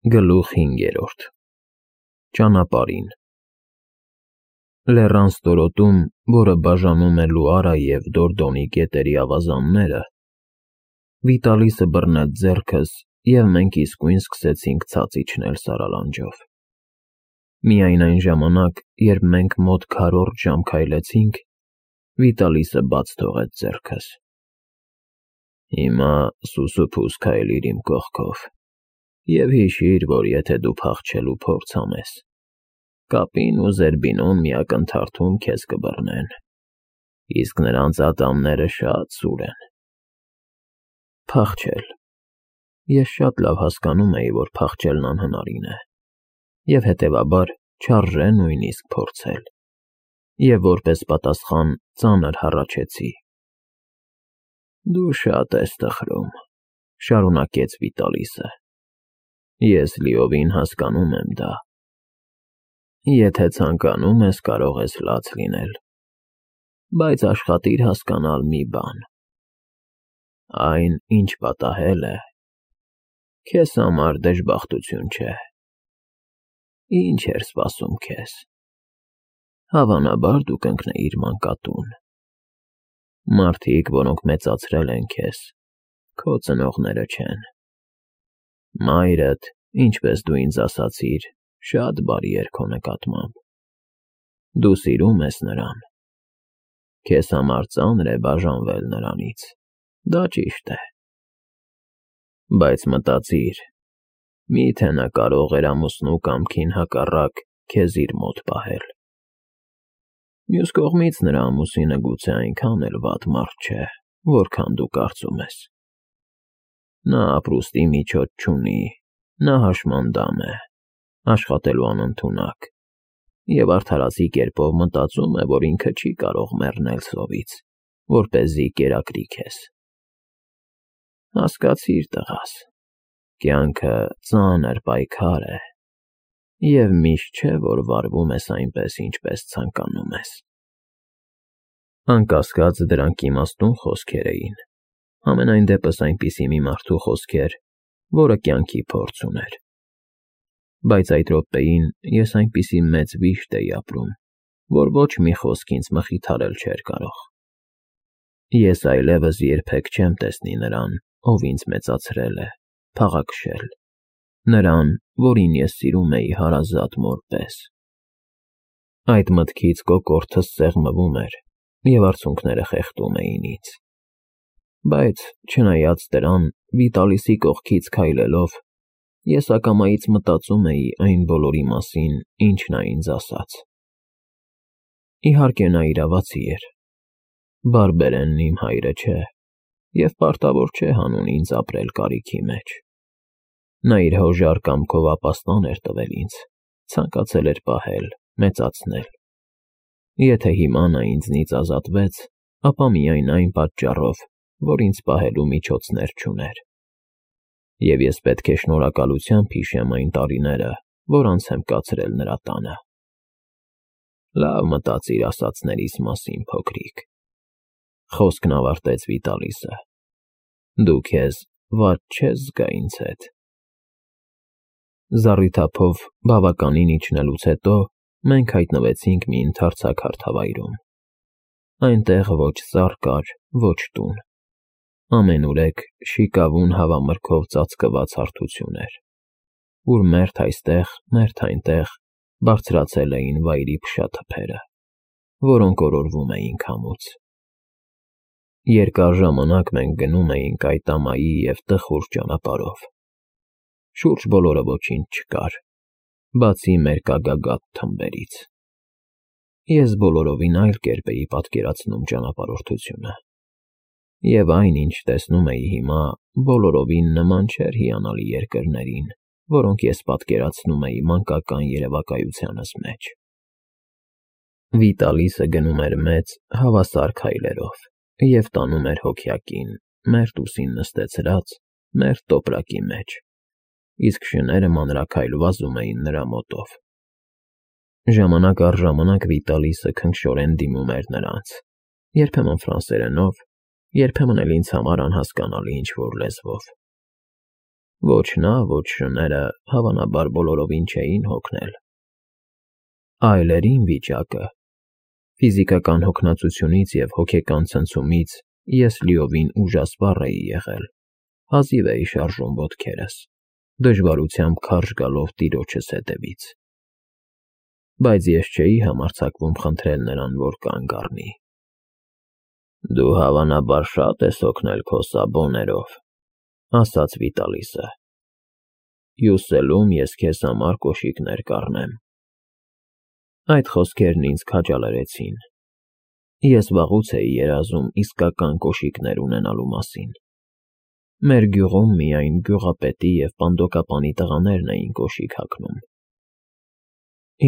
Գլուխ 5. Ճանապարհին Լեռան ստորոտում, որը բաժանում է Լուարա և Դորդոնի գետերի ավազանները, Վիտալիսը բռնեց ձեռքս, և մենք իսկույն սկսեցինք ցած իջնել սարալանջով։ Միայն այն ժամանակ, երբ մենք մոտ քառորդ ժամ քայլեցինք, Վիտալիսը բաց թողեց ձեռքս։ Հիմա սուսուփուս քայլիր իմ կողքով, և հիշիր, որ եթե դու փախչելու փորձ անես, կապին ու Զերբինոն մի ակնթարթում քեզ կբռնեն, իսկ նրանց ատամները շատ սուր են։ Փախչել… Ես շատ լավ հասկանում էի, որ փախչելն անհնարին է, և հետևաբար չարժե նույնիսկ փորձել, և որպես պատասխան ծանր հառաչեցի։ Դու շատ ես տխրում, շարունակեց Վիտալիսը, ես լիովին հասկանում եմ դա։ Եթե ցանկանում ես, կարող ես լաց լինել, բայց աշխատիր հասկանալ մի բան. այն, ինչ պատահել է, քեզ համար դժբախտություն չէ։ Ինչ էր սպասում քեզ։ Հավանաբար դու կընկնեիր մանկատուն։ Մարդիկ, որոնք մեծացրել են քեզ, քո ծնողները չեն։ Մայրդ, ինչպես դու ինձ ասացիր, շատ բարի էր քո նկատմամբ։ Դու սիրում ես նրան։ Քեզ համար ծանր է բաժանվել նրանից, դա ճիշտ է։ Բայց մտածիր, միթե նա կարող էր ամուսնու կամքին հակառակ քեզ իր մոտ պահել։ Մյուս կողմից, նրա ամուսինը գուցե այնքան էլ վատ մարդ չէ, որքան դու կարծում ես։ Նա ապրուստի միջոց չունի, նա հաշմանդամ է, աշխատելու անընդունակ, և արդարացի կերպով մտածում է, որ ինքը չի կարող մեռնել սովից, որպեսզի կերակրի քեզ։ Հասկացիր, տղաս, կյանքը ծանր պայքար է, և միշտ չէ, որ վարվում ես այնպես, ինչպես ցանկանում ես։ Անկասկած, դրանք իմաստուն խոսքեր էին, համենայն դեպս այնպիսի մի մարդու խոսքեր, որը կյանքի փորձ ուներ։ Բայց այդ րոպեին ես այնպիսի մեծ վիշտ էի ապրում, որ ոչ մի խոսք ինձ մխիթարել չէր կարող։ Ես այլևս երբեք չեմ տեսնի նրան, ով ինձ մեծացրել է, փաղաքշել, նրան, որին ես սիրում էի հարազատ մոր պես։ Այդ մտքից կոկորդս սեղմվում էր, և արցունքները խեղդում էին ինձ։ Բայց, չնայած դրան, Վիտալիսի կողքից քայլելով, ես ակամայից մտածում էի այն բոլորի մասին, ինչ նա ինձ ասաց։ Իհարկե, նա իրավացի էր։ Բարբերենն իմ հայրը չէ, և պարտավոր չէ հանուն ինձ ապրել կարիքի մեջ։ Նա իր հոժար կամքով ապաստան էր տվել ինձ, ցանկացել էր պահել, մեծացնել։ Եթե հիմա նա ինձնից ազատվեց, ապա միայն այն պատճառով, որ ինձ պահելու միջոցներ չուներ։ Եվ ես պետք է շնորհակալությամբ հիշեմ այն տարիները, որ անց եմ կացրել նրա տանը։ Լավ մտածիր ասածներիս մասին, փոքրիկ, խոսքն ավարտեց Վիտալիսը։ Դու քեզ վատ չես զգա ինձ հետ։ Զառիթափով բավականին իջնելուց հետո մենք հայտնվեցինք մի ընդարձակ հարթավայրում։ Այնտեղ ոչ ծառ կար, ոչ տուն։ Ամենուրեք շիկավուն հավամրգով ծածկված հարթություն էր, ուր մերթ այստեղ, մերթ այնտեղ բարձրացել էին վայրի փշաթփերը, որոնք օրորվում էին քամուց։ Երկար ժամանակ մենք գնում էինք այդ ամայի և տխուր ճանապարհով։ Շուրջ բոլորը ոչինչ չկար, բացի մեր կագագաթ թմբերից։ Ես բոլորովին այլ կերպ էի պատկերացնում ճանապարհորդությունը։ Եվ այն, ինչ տեսնում էի հիմա, բոլորովին նման չէր հիանալի երկրներին, որոնք ես պատկերացնում էի մանկական երևակայությանս մեջ։ Վիտալիսը գնում էր մեծ, հավասար քայլերով և տանում էր հոգյակին, մերթ ուսին նստեցրած, մերթ տոպրակի մեջ, իսկ շները մանրաքայլ վազում էին նրա մոտով։ Ժամանակ առ ժամանակ Վիտալիսը քնքշորեն դիմում էր նրանց, երբեմն ֆրանսերենով, երբեմն էլ ինձ համար անհասկանալի ինչ֊որ լեզվով։ Ոչ նա, ոչ շները, հավանաբար բոլորովին չէին հոգնել։ Այլ էր իմ վիճակը։ Ֆիզիկական հոգնածությունից և հոգեկան ցնցումից ես լիովին ուժասպառ էի եղել, հազիվ էի շարժում ոտքերս, դժվարությամբ քարշ գալով տիրոջս հետևից։ Բայց ես չէի համարձակվում խնդրել նրան, որ կանգ առնի։ «Դու հավանաբար շատ ես հոգնել քո սաբոներով», ասաց Վիտալիսը։ «Հյուսելում ես քեզ համար կոշիկներ կառնեմ»։ Այդ խոսքերն ինձ քաջալերեցին։ Ես վաղուց էի երազում իսկական կոշիկներ ունենալու մասին։ Մեր գյուղում միայն գյուղապետի և պանդոկապանի տղաներն էին կոշիկ հագնում։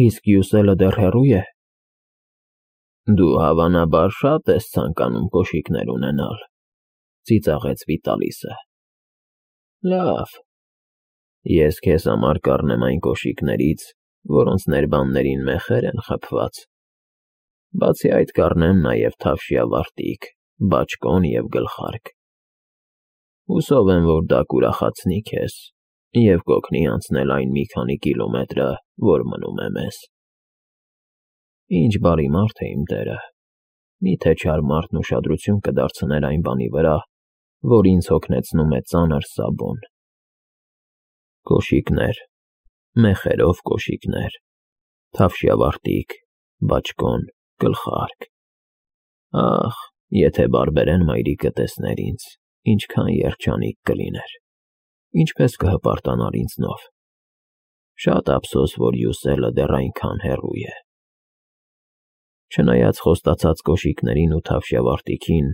«Իսկ հյուսելը դեռ հեռու է»։ «Դու հավանաբար շատ ես ցանկանում կոշիկներ ունենալ», ծիծաղեց Վիտալիսը։ «Լավ, ես քեզ համար կառնեմ այն կոշիկներից, որոնց ներբաններին մեխեր են խփված։ Բացի այդ կառնեմ նաև թավշյա վարտիք, բաճկոն և գլխարկ։ Հուսով եմ, որ դա կուրախացնի քեզ և կօգնի անցնել այն մի քանի կիլոմետրը, որ մնում է մեզ»։ Ինչ բարի մարդ է իմ տերը։ Մի՞թե չար մարդն ուշադրություն կդարձներ այն բանի վրա, որ ինձ հոգնեցնում է ծանր Սաբոն։ Կոշիկներ, մեխերով կոշիկներ, թավշյա վարտիք, բաճկոն, գլխարկ։ Ախ, եթե բարբերեն մայրիկը տեսներ ինձ, ինչքան երջանիկ կլիներ, ինչպես կհպարտանար ինձնով։ Շատ ափսոս, որ հյուսելը դեռ այնքան հեռու է։ Չնայած խոստացած կոշիկներին ու թավշյա վարտիքին,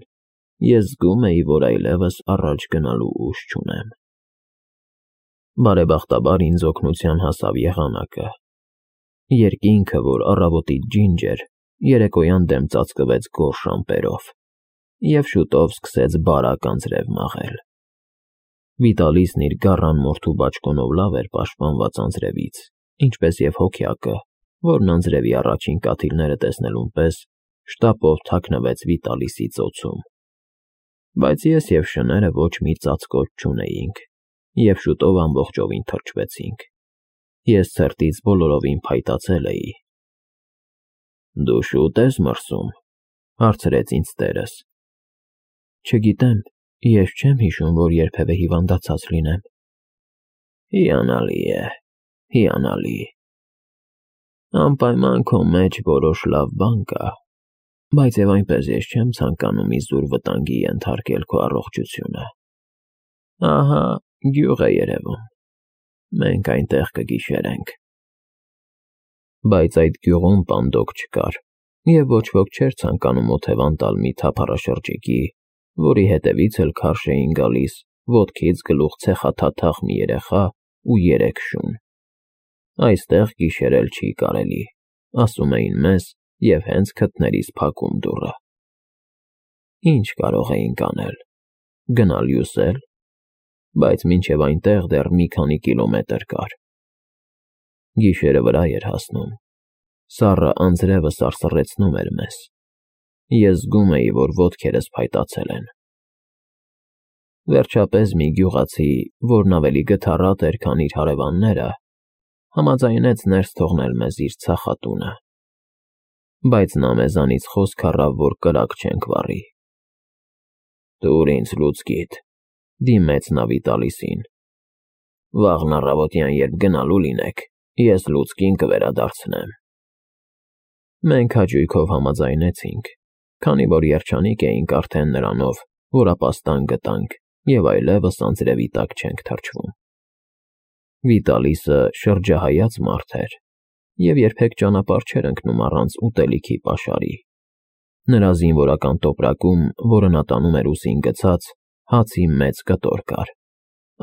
ես զգում էի, որ այլևս առաջ գնալու ուժ չունեմ։ Բարեբախտաբար ինձ օգնության հասավ եղանակը։ Երկինքը, որ առավոտից ջինջ էր, երեկոյան դեմ ծածկվեց գորշ ամպերով և շուտով սկսեց բարակ անձրև մաղել։ Վիտալիսն իր գառան մորթու բաճկոնով լավ էր պաշտպանված անձրևից, ինչպես և հոգյակը, որն անձրևի առաջին կաթիլները տեսնելուն պես շտապով թաքնվեց Վիտալիսի ծոցում։ Բայց ես և շները ոչ մի ծածկոց չունեինք, և շուտով ամբողջովին թրջվեցինք։ Ես ցրտից բոլորովին փայտացել էի։ «Դու շուտ ես մրսում», հարցրեց ինձ տերս։ «Չգիտեմ, ես չեմ հիշում, որ երբևէ հիվանդացած լինեմ»։ «Հիանալի է, հիանալի։ Անպայման քո մեջ որոշ լավ բան կա, բայց և այնպես ես չեմ ցանկանում իզուր վտանգի ենթարկել քո առողջությունը։ Ահա գյուղ է երևում։ Մենք այնտեղ կգիշերենք»։ Բայց այդ գյուղում պանդոկ չկար, և ոչ ոք չէր ցանկանում օթևան տալ մի թափառաշրջիկի, որի հետևից էլ քարշ էին գալիս ոտքից գլուխ ցեխաթաթախ մի երեխա ու 3 շուն։ «Այստեղ գիշերել չի կարելի», ասում էին մեզ և հենց քթներիս փակում դուռը։ Ինչ կարող էինք անել։ Գնալ հյուսել։ Բայց մինչև այնտեղ դեռ մի քանի կիլոմետր կար։ Գիշերը վրա էր հասնում։ Սառը անձրևը սարսռեցնում էր մեզ։ Ես զգում էի, որ ոտքերս փայտացել են։ Վերջապես մի գյուղացի, որն ավելի գթառատ էր, քան իր հարևանները, համաձայնեց ներս թողնել մեզ իր ցախատունը։ Բայց նա մեզանից խոսք առավ, որ կրակ չենք վառի։ «Տուր ինձ լուցկիդ», դիմեց նա Վիտալիսին։ «Վաղն առավոտյան, երբ գնալու լինեք, ես լուցկին կվերադարձնեմ»։ Մենք հաճույքով համաձայնեցինք, քանի որ երջանիկ էինք արդեն նրանով, որ ապաստան գտանք և այլևս անձրևի տակ չենք թրջվում։ Վիտալիսը շրջահայաց մարդ էր և երբեք ճանապարհ չէր ընկնում առանց ուտելիքի պաշարի։ Նրա զինվորական տոպրակում, որը նա տանում էր ուսին գցած, հացի մեծ կտոր կար։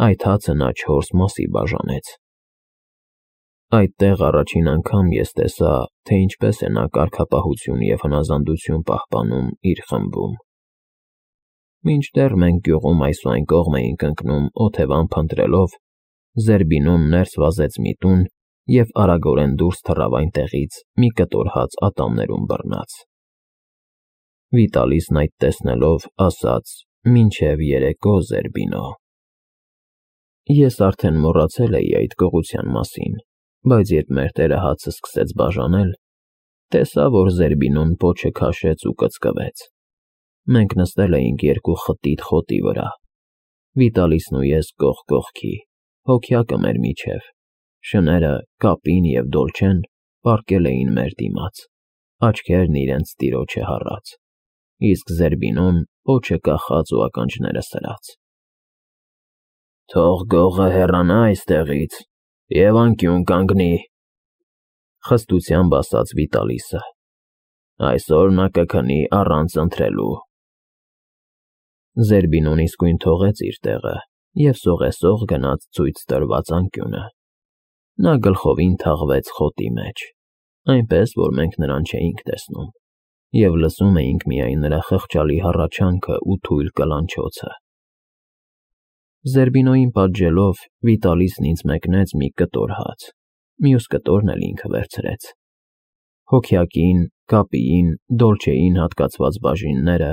Այդ հացը նա 4 մասի բաժանեց։ Այդտեղ առաջին անգամ ես տեսա, թե ինչպես է նա կարգապահություն և հնազանդություն պահպանում իր խմբում։ Մինչդեռ մենք գյուղում այս ու այն կողմ էինք ընկնում օթևան փնտրելով, Զերբինոն ներս վազեց մի տուն և արագորեն դուրս թռավ այնտեղից մի կտոր հաց ատամներում բռնած։ Վիտալիսն այդ տեսնելով ասաց. «Մինչև երեկո, Զերբինո»։ Ես արդեն մոռացել էի այդ գողության մասին, բայց երբ մեր տերը հացը սկսեց բաժանել, տեսա, որ Զերբինոն պոչը քաշեց ու կծկվեց։ Մենք նստել էինք երկու խտիտ խոտի վրա, Վիտալիսն ու ես կողք կողքի, հոգյակը մեր միջև, շները, կապին և Դոլչեն պառկել էին մեր դիմաց, աչքերն իրենց տիրոջը հառած, իսկ Զերբինոն պոչը կախած ու ականջները սրած։ «Թող գողը հեռանա այստեղից և անկյուն կանգնի», խստությամբ ասաց Վիտալիսը։ «Այսօր նա կքնի առանց ընթրելու»։ Զերբինոն իսկույն թողեց իր տեղը և սողեսող գնաց ցույց տրված անկյունը։ Նա գլխովին թաղվեց խոտի մեջ, այնպես, որ մենք նրան չէինք տեսնում, և լսում էինք միայն նրա խղճալի հառաչանքը ու թույլ կլանչոցը։ Զերբինոյին պատժելով Վիտալիսն ինձ մեկնեց մի կտոր հաց, մյուս կտորն էլ ինքը վերցրեց։ Հոգյակին, կապիին, Դոլչեին հատկացված բաժինները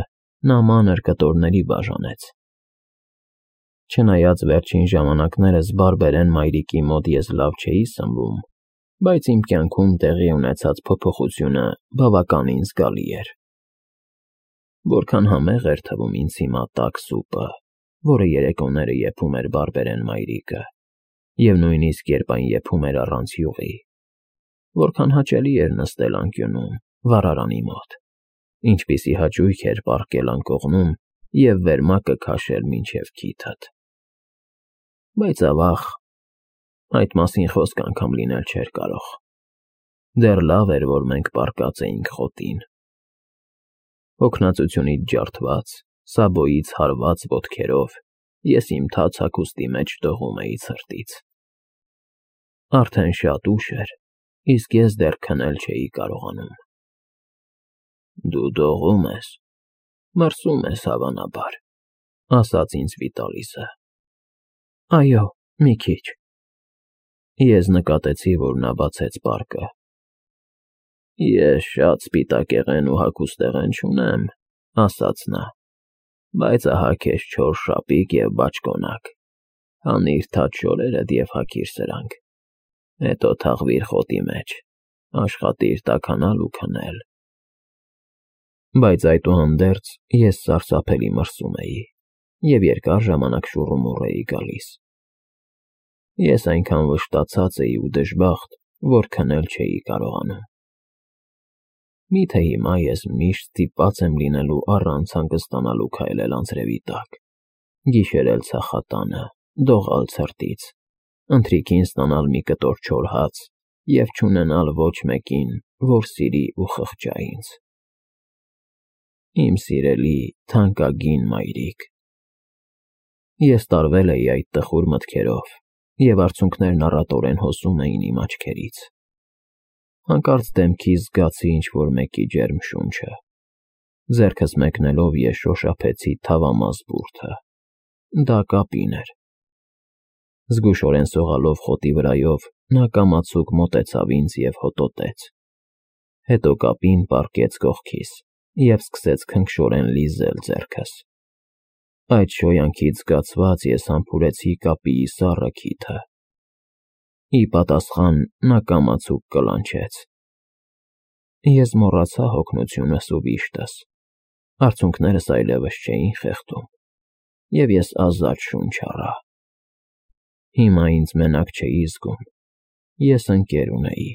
նա մանր կտորների բաժանեց։ Չնայած վերջին ժամանակներս բարբերեն մայրիկի մոտ ես լավ չէի սնվում, բայց իմ կյանքում տեղի ունեցած փոփոխությունը բավականին զգալի էր։ Որքան համեղ էր թվում ինձ հիմա տաք սուպը, որը երեկոները եփում էր բարբերեն մայրիկը, և նույնիսկ երբ այն եփում էր առանց յուղի։ Որքան հաճելի էր նստել անկյունում, վառարանի մոտ, ինչպիսի հաճույք էր պառկել անկողնում և վերմակը քաշել մինչև քիթդ։ Բայց ավաղ, այդ մասին խոսք անգամ լինել չէր կարող։ Դեռ լավ էր, որ մենք պառկած էինք խոտին։ Հոգնածությունից ջարդված, սաբոյից հարված ոտքերով ես իմ թաց հագուստի մեջ դողում էի ցրտից։ Արդեն շատ ուշ էր, իսկ ես դեռ քնել չէի կարողանում։ «Դու դողում ես, մրսում ես, հավանաբար», ասաց ինձ Վիտալիսը։ «Այո, մի քիչ»։ Ես նկատեցի, որ նա բացեց պարկը։ «Ես շատ սպիտակեղեն ու հագուստեղեն չունեմ», ասաց նա, «բայց ահա քեզ 4 շապիկ և բաճկոնակ, հանիր թաց շորերդ և հագիր սրանք, հետո թաղվիր խոտի մեջ, աշխատիր տաքանալ ու քնել»։ Բայց այդուհանդերձ ես սարսափելի մրսում էի և երկար ժամանակ շուռումուռ էի գալիս։ Ես այնքան վշտացած էի ու դժբախտ, որ քնել չէի կարողանում։ Մի՞թե հիմա ես միշտ ստիպված եմ լինելու առանց հանգստանալու քայլել անձրևի տակ, գիշերել ցախատանը, դողալ ցրտից, ընթրիքին ստանալ մի կտոր չոր հաց և չունենալ ոչ մեկին, որ սիրի ու խղճա ինձ։ Իմ սիրելի, թանկագին մայրիկ։ Ես տարվել էի այդ տխուր մտքերով, և արցունքներն առատորեն հոսում էին իմ աչքերից։ Հանկարծ դեմքիս զգացի ինչ-որ մեկի ջերմ շունչը։ Ձեռքս մեկնելով ես շոշափեցի թավամաս բուրդը։ Դա կապին էր։ Զգուշորեն սողալով խոտի վրայով նա կամացուկ մոտեցավ ինձ և հոտոտեց։ Հետո կապին պառկեց կողքիս և սկսեց քնքշորեն լիզել ձեռքս։ Այդ շոյանքից զգացված ես համբուրեցի կապիի սառը քիթը։ Ի պատասխան նա կամացուկ կլանչեց։ Ես մոռացա հոգնությունս ու վիշտս, արցունքներս այլևս չէին խեղդում, և ես ազատ շունչ առա։ Հիմա ինձ մենակ չէի զգում, ես ընկեր ունեի։